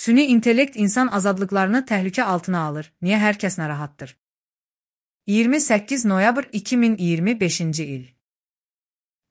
Süni intellekt insan azadlıqlarını təhlükə altına alır. Niyə hər kəs narahatdır? 28 noyabr 2025-ci il.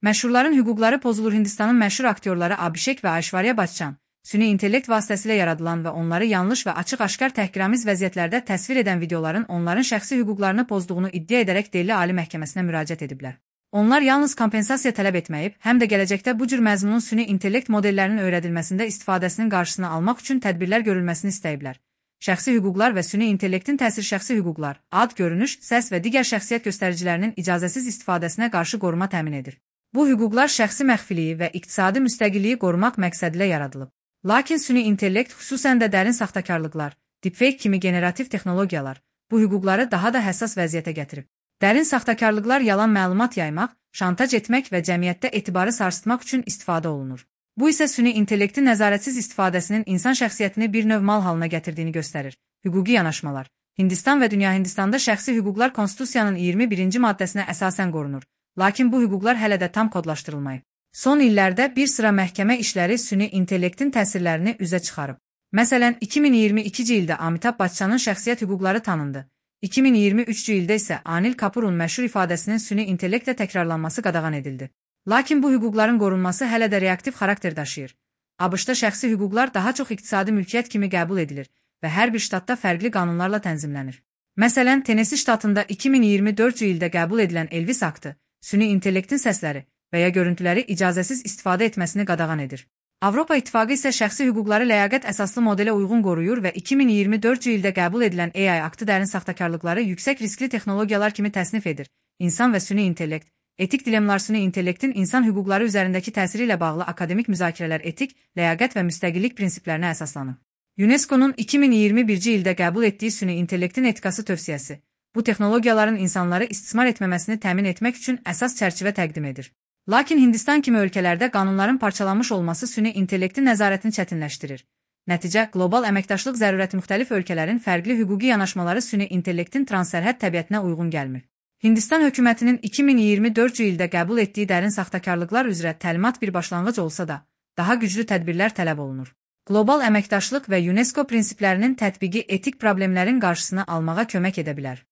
Məşhurların hüquqları pozulur. Hindistanın məşhur aktyorları Abhishek və Aishwarya Bachchan, süni intellekt vasitəsilə yaradılan və onları yanlış və açıq-aşkar təhqiramiz vəziyyətlərdə təsvir edən videoların onların şəxsi hüquqlarını pozduğunu iddia edərək Delhi Ali Məhkəməsinə müraciət ediblər. Onlar yalnız kompensasiya tələb etməyib, həm də gələcəkdə bu cür məzmunun süni intellekt modellərinin öyrədilməsində istifadəsinin qarşısını almaq üçün tədbirlər görülməsini istəyiblər. Şəxsi hüquqlar və süni intellektin təsiri şəxsi hüquqlar, ad, görünüş, səs və digər şəxsiyyət göstəricilərinin icazəsiz istifadəsinə qarşı qoruma təmin edir. Bu hüquqlar şəxsi məxfiliyi və iqtisadi müstəqilliyi qorumaq məqsədilə yaradılıb. Lakin süni intellekt, xüsusən də dərin saxtakarlıqlar, deepfake kimi generativ texnologiyalar bu hüquqları daha da həssas vəziyyətə gətirib. Dərin saxtakarlıqlar yalan məlumat yaymaq, şantaj etmək və cəmiyyətdə etibarı sarsıtmaq üçün istifadə olunur. Bu isə süni intellektin nəzarətsiz istifadəsinin insan şəxsiyyətini bir növ mal halına gətirdiyini göstərir. Hüquqi yanaşmalar. Hindistan və dünya Hindistanda şəxsi hüquqlar Konstitusiyanın 21-ci maddəsinə əsasən qorunur. Lakin bu hüquqlar hələ də tam kodlaşdırılmayıb. Son illərdə bir sıra məhkəmə işləri süni intellektin təsirlərini üzə çıxarıb. Məsələn, 2022-ci ildə Amitabh Bachchanın şəxsiyyət hüquqları tanındı. 2023-cü ildə isə Anil Kapoorun məşhur ifadəsinin süni intellektlə təkrarlanması qadağan edildi. Lakin bu hüquqların qorunması hələ də reaktiv xarakter daşıyır. ABŞ-da şəxsi hüquqlar daha çox iqtisadi mülkiyyət kimi qəbul edilir və hər bir ştatda fərqli qanunlarla tənzimlənir. Məsələn, Tennessee ştatında 2024-cü ildə qəbul edilən Elvis aktı, süni intellektin səsləri və ya görüntüləri icazəsiz istifadə etməsini qadağan edir. Avropa İttifaqı isə şəxsi hüquqları ləyaqət əsaslı modelə uyğun qoruyur və 2024-cü ildə qəbul edilən AI aktı dərin saxtakarlıqları yüksək riskli texnologiyalar kimi təsnif edir. İnsan və süni intellekt, etik dilemmalar süni intellektin insan hüquqları üzərindəki təsiri ilə bağlı akademik müzakirələr etik, ləyaqət və müstəqillik prinsiplərinə əsaslanır. UNESCO-nun 2021-ci ildə qəbul etdiyi süni intellektin etikası tövsiyəsi, bu texnologiyaların insanları istismar etməməsini təmin etmək üçün əsas çərçivə təqdim edir. Lakin Hindistan kimi ölkələrdə qanunların parçalanmış olması süni intellektin nəzarətini çətinləşdirir. Nəticə, qlobal əməkdaşlıq zərurəti müxtəlif ölkələrin fərqli hüquqi yanaşmaları süni intellektin transsərhəd təbiətinə uyğun gəlmir. Hindistan hökumətinin 2024-cü ildə qəbul etdiyi dərin saxtakarlıqlar üzrə təlimat bir başlanğıc olsa da, daha güclü tədbirlər tələb olunur. Qlobal əməkdaşlıq və UNESCO prinsiplərinin tətbiqi etik problemlərin qarşısını almağa kömək edə bilər.